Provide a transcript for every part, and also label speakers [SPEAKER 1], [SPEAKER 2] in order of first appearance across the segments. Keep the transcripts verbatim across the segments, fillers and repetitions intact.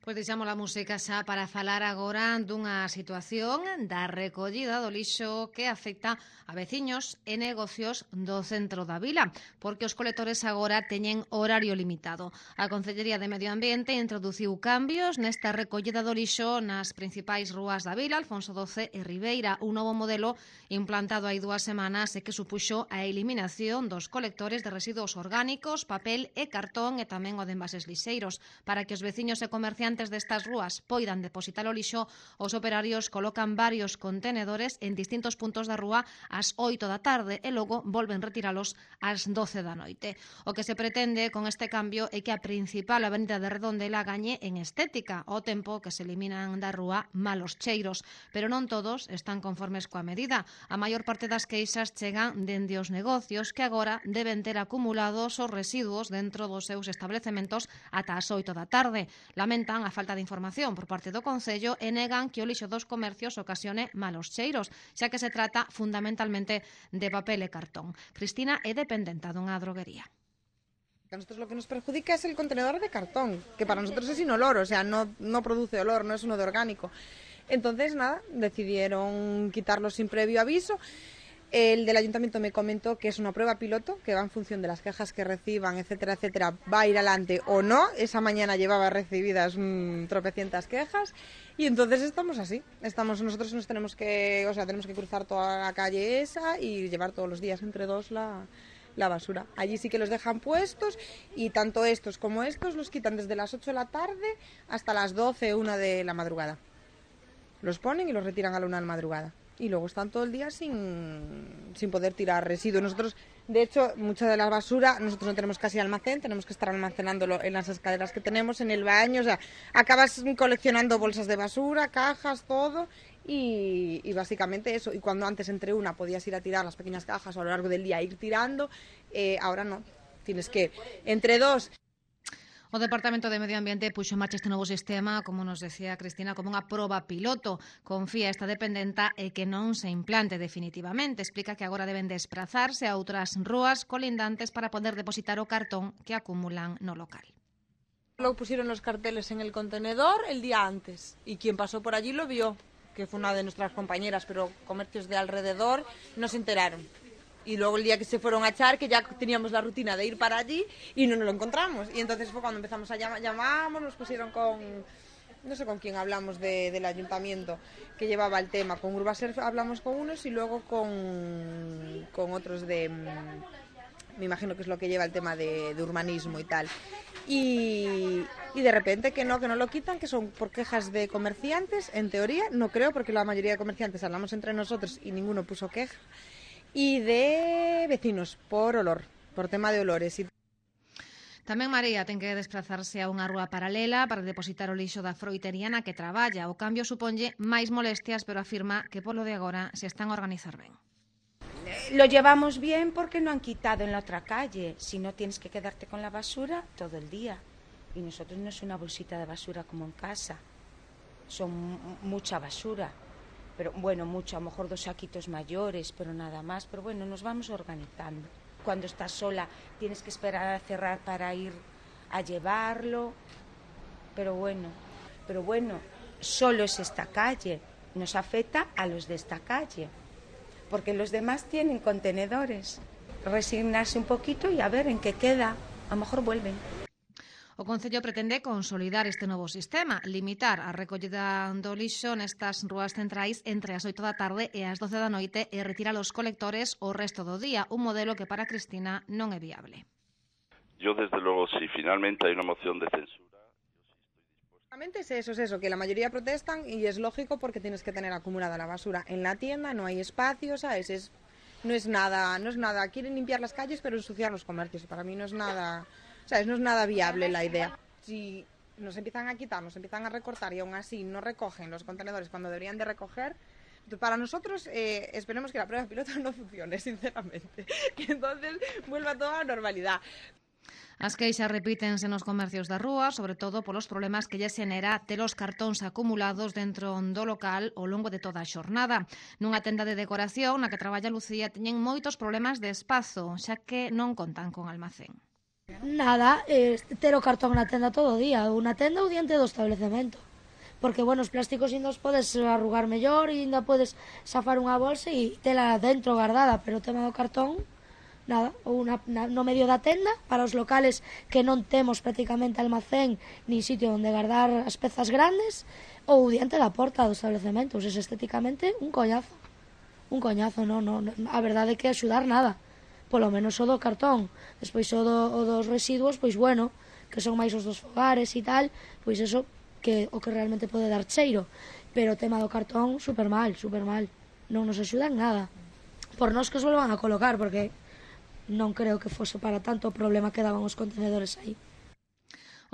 [SPEAKER 1] Pois deixamos a música xa para falar agora dunha situación da recollida do lixo que afecta a veciños e negocios do centro da vila, porque os colectores agora teñen horario limitado. A Concellería de Medio Ambiente introduciu cambios nesta recollida do lixo nas principais rúas da vila, Alfonso doce e Ribeira, un novo modelo implantado hai dúas semanas e que supuxo a eliminación dos colectores de residuos orgánicos, papel e cartón e tamén o de envases lixeiros. Para que os veciños e comerciantes destas rúas poidan depositar o lixo, os operarios colocan varios contenedores en distintos puntos da rúa ás oito da tarde e logo volven retiralos ás doce da noite. O que se pretende con este cambio é que a principal avenida de Redondela gañe en estética, ao tempo que se eliminan da rúa malos cheiros, pero non todos están conformes coa medida. A maior parte das queixas chegan dende os negocios que agora deben ter acumulados os residuos dentro dos seus establecementos ata as oito da tarde. Lamentan a falta de información por parte do Concello e negan que o lixo dos comercios ocasione malos cheiros, xa que se trata fundamentalmente de papel e cartón. Cristina é dependenta dunha droguería.
[SPEAKER 2] A nosotros lo que nos perjudica es el contenedor de cartón, que para nosotros es inolor, o sea, no, no produce olor, no es uno de orgánico. Entonces, nada, decidieron quitarlo sin previo aviso. El del ayuntamiento me comentó que es una prueba piloto, que va en función de las quejas que reciban, etcétera, etcétera, va a ir adelante o no. Esa mañana llevaba recibidas mmm, tropecientas quejas y entonces estamos así. Estamos, nosotros nos tenemos que, o sea, tenemos que cruzar toda la calle esa y llevar todos los días entre dos la, la basura. Allí sí que los dejan puestos y tanto estos como estos los quitan desde las ocho de la tarde hasta las doce, una de la madrugada. Los ponen y los retiran a la una de la madrugada. Y luego están todo el día sin, sin poder tirar residuos. Nosotros, de hecho, mucha de la basura, nosotros no tenemos casi almacén, tenemos que estar almacenándolo en las escaleras que tenemos, en el baño, o sea, acabas coleccionando bolsas de basura, cajas, todo, y, y básicamente eso. Y cuando antes entre una podías ir a tirar las pequeñas cajas o a lo largo del día ir tirando, eh, ahora no, tienes que, entre dos...
[SPEAKER 1] O Departamento de Medio Ambiente puxo en marcha este novo sistema, como nos decía Cristina, como unha proba piloto. Confía esta dependenta e que non se implante definitivamente. Explica que agora deben desplazarse a outras rúas colindantes para poder depositar o cartón que acumulan no local.
[SPEAKER 2] Luego pusieron los carteles en el contenedor el día antes y quien pasó por allí lo vio, que fue una de nuestras compañeras, pero comercios de alrededor no se enteraron. Y luego el día que se fueron a echar, que ya teníamos la rutina de ir para allí y no nos lo encontramos. Y entonces fue cuando empezamos a llamar, llamamos, nos pusieron con, no sé con quién hablamos de, del ayuntamiento que llevaba el tema. Con Urbaser hablamos con unos y luego con, con otros de, me imagino que es lo que lleva el tema de, de urbanismo y tal. Y, y de repente que no, que no lo quitan, que son por quejas de comerciantes, en teoría, no creo, porque la mayoría de comerciantes hablamos entre nosotros y ninguno puso queja. Y de vecinos, por olor, por tema de olores.
[SPEAKER 1] Tamén María ten que desplazarse a unha rúa paralela para depositar o lixo da froitería na que traballa. O cambio suponlle máis molestias, pero afirma que polo de agora se están a organizar ben.
[SPEAKER 3] Lo llevamos bien porque no han quitado en la otra calle. Si no, tienes que quedarte con la basura todo el día. Y nosotros no es una bolsita de basura como en casa. Son mucha basura. Pero bueno, mucho, a lo mejor dos saquitos mayores, pero nada más. Pero bueno, nos vamos organizando. Cuando estás sola tienes que esperar a cerrar para ir a llevarlo. Pero bueno, pero bueno, solo es esta calle. Nos afecta a los de esta calle. Porque los demás tienen contenedores. Resignarse un poquito y a ver en qué queda. A lo mejor vuelven.
[SPEAKER 1] O Concello pretende consolidar este novo sistema, limitar a recollida do lixo nestas rúas centrais entre as oito da tarde e as doce da noite e retirar os colectores o resto do día, un modelo que para Cristina non é viable.
[SPEAKER 4] Yo, desde luego, si finalmente hay una moción de censura...
[SPEAKER 2] Es eso, es eso, que la mayoría protestan y es lógico porque tienes que tener acumulada la basura en la tienda, no hay espacio, ¿sabes? Es, no es nada, no es nada, quieren limpiar las calles pero ensuciar los comercios y para mí no es nada... ¿Sabes? No es nada viable la idea. Si nos empiezan a quitar, nos empiezan a recortar y aún así no recogen los contenedores cuando deberían de recoger, para nosotros eh, esperemos que la prueba piloto no funcione, sinceramente. Que entonces vuelva toda a la normalidad.
[SPEAKER 1] As queixas repítense nos comercios da rúa, sobre todo polos problemas que lle xenera ter os cartóns acumulados dentro do local ao longo de toda a xornada. Nunha tenda de decoración na que traballa Lucía teñen moitos problemas de espazo, xa que non contan con almacén.
[SPEAKER 5] Nada, eh, ter o cartón na tenda todo o día, ou na tenda ou diante do establecemento. Porque, bueno, os plásticos ainda os podes arrugar mellor e ainda podes safar unha bolsa e tela dentro guardada, pero o tema do cartón, nada, ou na, na, no medio da tenda, para os locales que non temos prácticamente almacén ni sitio onde guardar as pezas grandes, ou diante da porta do establecemento, ou seja, estéticamente un coñazo. Un coñazo, non, non, a verdade é que axudar nada, polo menos o do cartón. Despois o, do, o dos residuos, pois bueno, que son máis os dos fogares e tal, pois eso, que o que realmente pode dar cheiro, pero o tema do cartón, super mal, super mal, non nos axudan nada. Por nós que os volvan a colocar, porque non creo que fose para tanto o problema que daban os contenedores aí.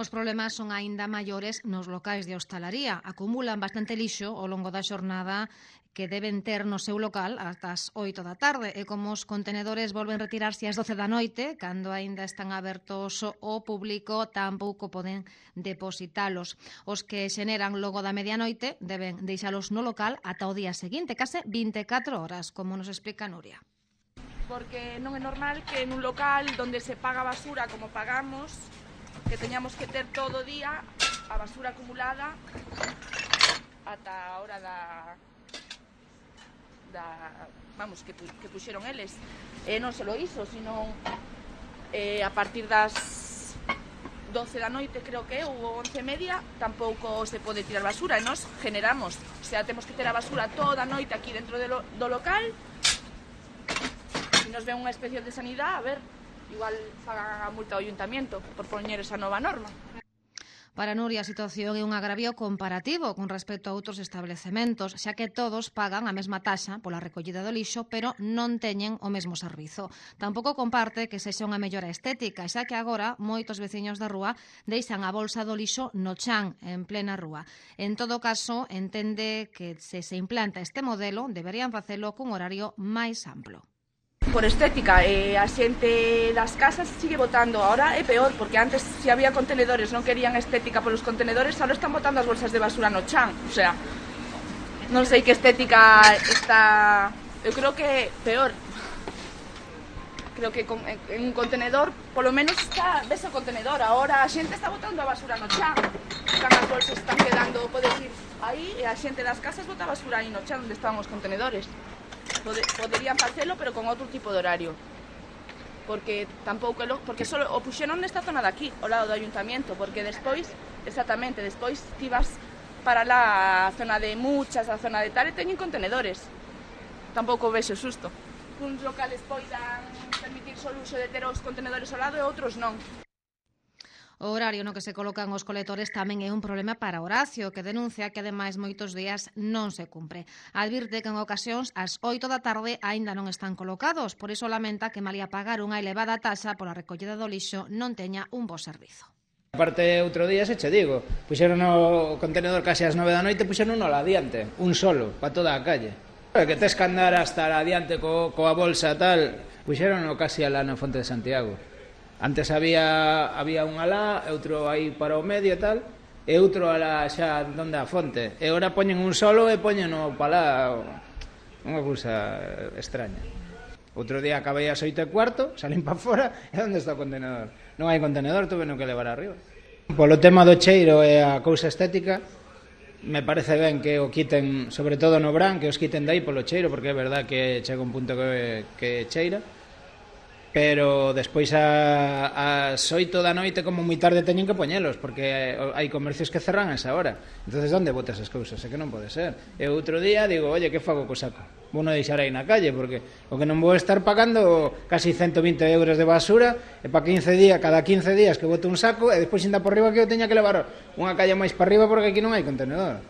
[SPEAKER 1] Os problemas son aínda maiores nos locais de hostalaría. Acumulan bastante lixo ao longo da xornada que deben ter no seu local ata as oito da tarde, e como os contenedores volven retirarse ás doce da noite, cando aínda están abertos ao público, tampouco poden depositalos. Os que xeneran logo da medianoite deben deixalos no local ata o día seguinte, case vinte e catro horas, como nos explica Nuria.
[SPEAKER 6] Porque non é normal que en un local donde se paga basura como pagamos, que teñamos que ter todo o día a basura acumulada ata a hora da, da vamos, que, que puxeron eles. E non só iso, sino eh, a partir das doce da noite, creo que é, ou once e media, tampouco se pode tirar basura, e nós generamos, o sea, temos que ter a basura toda a noite aquí dentro do, do local. Se nos ven unha inspección de sanidade, a ver, igual fagan a multa ao ayuntamiento por poñer esa nova norma.
[SPEAKER 1] Para Nuria, a situación é un agravio comparativo con respecto a outros establecementos, xa que todos pagan a mesma taxa pola recollida do lixo, pero non teñen o mesmo servizo. Tampouco comparte que sexa unha mellora estética, xa que agora moitos veciños da rúa deixan a bolsa do lixo no chan, en plena rúa. En todo caso, entende que se se implanta este modelo, deberían facelo cun horario máis amplo.
[SPEAKER 6] Por estética, eh, a xente das casas sigue botando, ahora é peor, porque antes se había contenedores, non querían estética polos contenedores, ahora están botando as bolsas de basura no chan, o sea, non sei que estética está, eu creo que peor, creo que con, en un contenedor, polo menos está, ves o contenedor, ahora a xente está botando a basura no chan, están as bolsas, están quedando, podes ir aí, e a xente das casas bota a basura aí no chan onde estaban os contenedores. Poderían facelo, pero con outro tipo de horario, porque tampouco porque só o puxeron nesta zona de aquí, ao lado do ayuntamiento, porque despois, exactamente, despois ti vas para lá a zona de Muchas, a zona de tal, e teñen contenedores. Tampouco vexo susto. Uns locales poidan permitir só o uso de ter os contenedores ao lado e outros non.
[SPEAKER 1] O horario no que se colocan os colectores tamén é un problema para Horacio, que denuncia que ademais moitos días non se cumpre. Advirte que en ocasións ás oito da tarde aínda non están colocados, por iso lamenta que malia pagar unha elevada taxa pola recollida do lixo non teña un bo servizo.
[SPEAKER 7] Aparte, outro día, se che digo, puxeron o contenedor case ás nove da noite, puxeron uno lá adiante, un solo, para toda a calle. Que tes que andar hasta adiante co, coa bolsa tal, puxeron o casi alá na Fonte de Santiago. Antes había había un alá, outro aí para o medio e tal, e outro alá xa donde a fonte. E ora poñen un solo e poñen o palá, unha cousa extraña. Outro día acabei ás oito e cuarto, salín para fora, e onde está o contenedor? Non hai contenedor, tuve no que levar arriba. Polo tema do cheiro e a cousa estética, me parece ben que o quiten, sobre todo no Bran, que os quiten dai polo cheiro, porque é verdad que chega un punto que, que cheira. Pero despois a, ás oito da noite como moi tarde teñen que poñelos, porque hai comercios que cerran a esa hora. Entonces, onde botas as cousas? É que non pode ser. E outro día digo, oye, que fago co saco? Vou non deixar aí na calle, porque o que non vou estar pagando casi ciento vinte euros de basura, e para quince días, cada quince días que boto un saco, e despois ainda por riba que eu teña que levar unha calle máis para arriba, porque aquí non hai contenedor.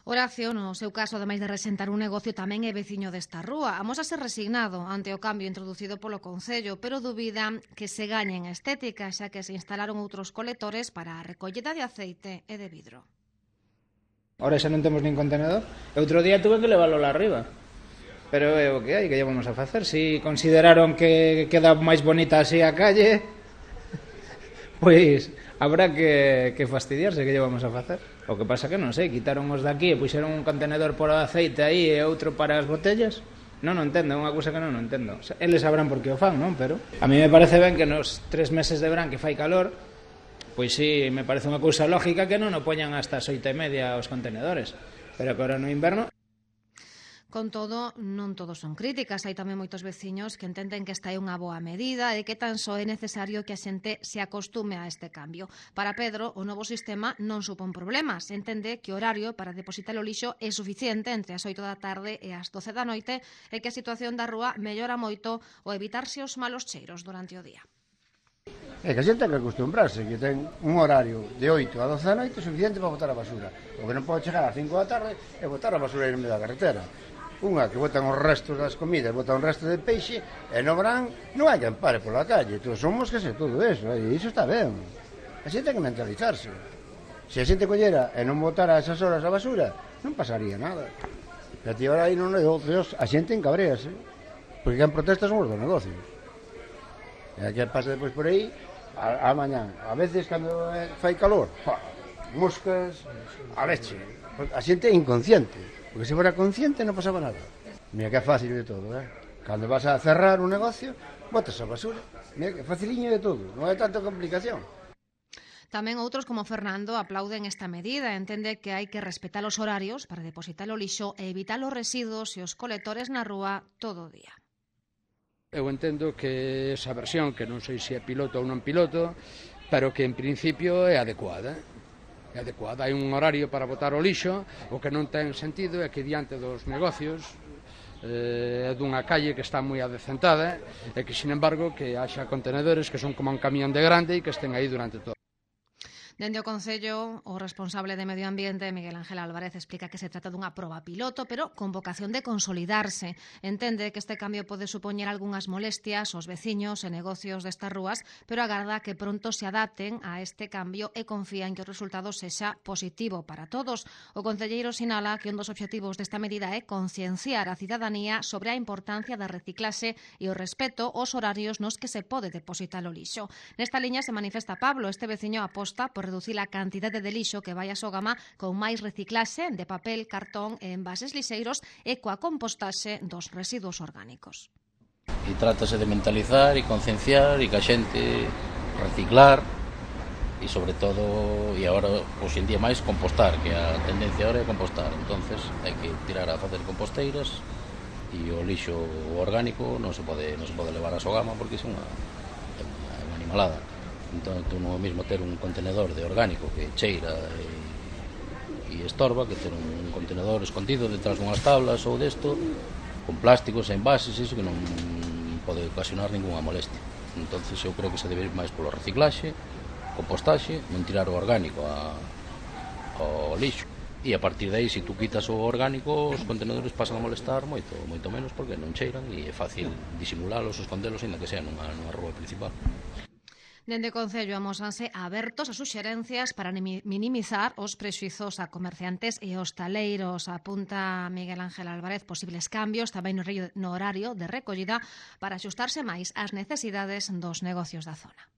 [SPEAKER 1] Horacio, no seu caso, ademais de resentar un negocio, tamén é veciño desta rúa. Amósase resignado ante o cambio introducido polo Concello, pero dubida que se gañen a estética, xa que se instalaron outros colectores para a recollida de aceite e de vidro.
[SPEAKER 7] Ahora xa non temos nin contenedor. Outro día tuve que leválo lá arriba. Pero é o que hai, que lle vamos a facer? Si consideraron que queda máis bonita así a calle, pois habrá que, que fastidiarse, que lle vamos a facer. O que pasa que non sei, quitaron os daqui e puxeron un contenedor por aceite aí e outro para as botellas. Non o entendo, é unha cousa que non o entendo. Eles sabrán por que o fan, non? Pero a mí me parece ben que nos tres meses de verán que fai calor, pois sí, me parece unha cousa lógica que non o poñan hasta as oito e media os contenedores, pero que ahora no inverno.
[SPEAKER 1] Con todo, non todos son críticas. Hai tamén moitos veciños que entenden que esta é unha boa medida e que tan só é necesario que a xente se acostume a este cambio. Para Pedro, o novo sistema non supón problemas. Entende que o horario para depositar o lixo é suficiente entre as oito da tarde e as doce da noite e que a situación da rúa mellora moito ao evitarse os malos cheiros durante o día.
[SPEAKER 8] É que a xente ten que acostumbrarse, que ten un horario de oito a doce da noite suficiente para botar a basura. O que non pode chegar ás cinco da tarde é botar a basura en medio da carretera. Unha que botan os restos das comidas, botan os restos de peixe, e no verán non hai quen pare pola calle. Entón, son moscas e todo eso, e iso está ben. A xente ten que mentalizarse. Se a xente collera e non botara esas horas a basura, non pasaría nada. E a ti ahora aí non negocios, a xente encabréase, porque quen protesta son os dos negocios. E a que pasa depois por aí, a, a mañán, a veces cando fai calor, pa, moscas, a leche. A xente é inconsciente. Porque se fora consciente non pasaba nada. Mira que é fácil de todo, eh? Cando vas a cerrar un negocio, botas a basura. Mira que é faciliño de todo, non hai tanta complicación.
[SPEAKER 1] Tamén outros como Fernando aplauden esta medida. Entende que hai que respetar os horarios para depositar o lixo e evitar os residuos e os colectores na rúa todo o día.
[SPEAKER 9] Eu entendo que esa versión, que non sei se é piloto ou non piloto, pero que en principio é adecuada. É adecuada. Hai un horario para botar o lixo, o que non ten sentido é que diante dos negocios é eh, dunha calle que está moi adecentada e que, sin embargo, que haxa contenedores que son como un camión de grande e que estén aí durante todo.
[SPEAKER 1] Dende o Concello, o responsable de Medio Ambiente, Miguel Ángel Álvarez, explica que se trata dunha proba piloto, pero con vocación de consolidarse. Entende que este cambio pode supoñer algunhas molestias aos veciños e negocios destas rúas, pero agarda que pronto se adapten a este cambio e confía en que o resultado sexa positivo para todos. O concelleiro sinala que un dos obxectivos desta medida é concienciar a cidadanía sobre a importancia da reciclaxe e o respeto aos horarios nos que se pode depositar o lixo. Nesta liña se manifesta Pablo. Este veciño aposta por reducir a cantidade de lixo que vai a Sogama con máis reciclaxe de papel, cartón e envases lixeiros e coa compostaxe dos residuos orgánicos.
[SPEAKER 10] E trátase de mentalizar e concienciar e que a xente reciclar e sobre todo, e agora hoxe en día máis, compostar, que a tendencia agora é compostar. Entonces hai que tirar a facer composteiras e o lixo orgánico non se pode, non se pode levar a Sogama porque é unha, é unha, é unha animalada. Entón, tú non é o mesmo ter un contenedor de orgánico que cheira e, e estorba que ter un contenedor escondido detrás dunhas tablas ou desto, con plásticos e envases, iso que non pode ocasionar ninguna molestia. Entonces eu creo que se debe ir máis polo reciclaxe, compostaxe, non tirar o orgánico a, ao lixo. E a partir de aí, se tú quitas o orgánico, os contenedores pasan a molestar moito, moito menos porque non cheiran e é fácil disimulálos, escondelos, ainda que sea nunha, nunha rúa principal.
[SPEAKER 1] Dende o Concello amósanse abertos a suxerencias para minimizar os prexuizos a comerciantes e hostaleiros. Apunta Miguel Ángel Álvarez posibles cambios tamén no horario de recollida para axustarse máis ás necesidades dos negocios da zona.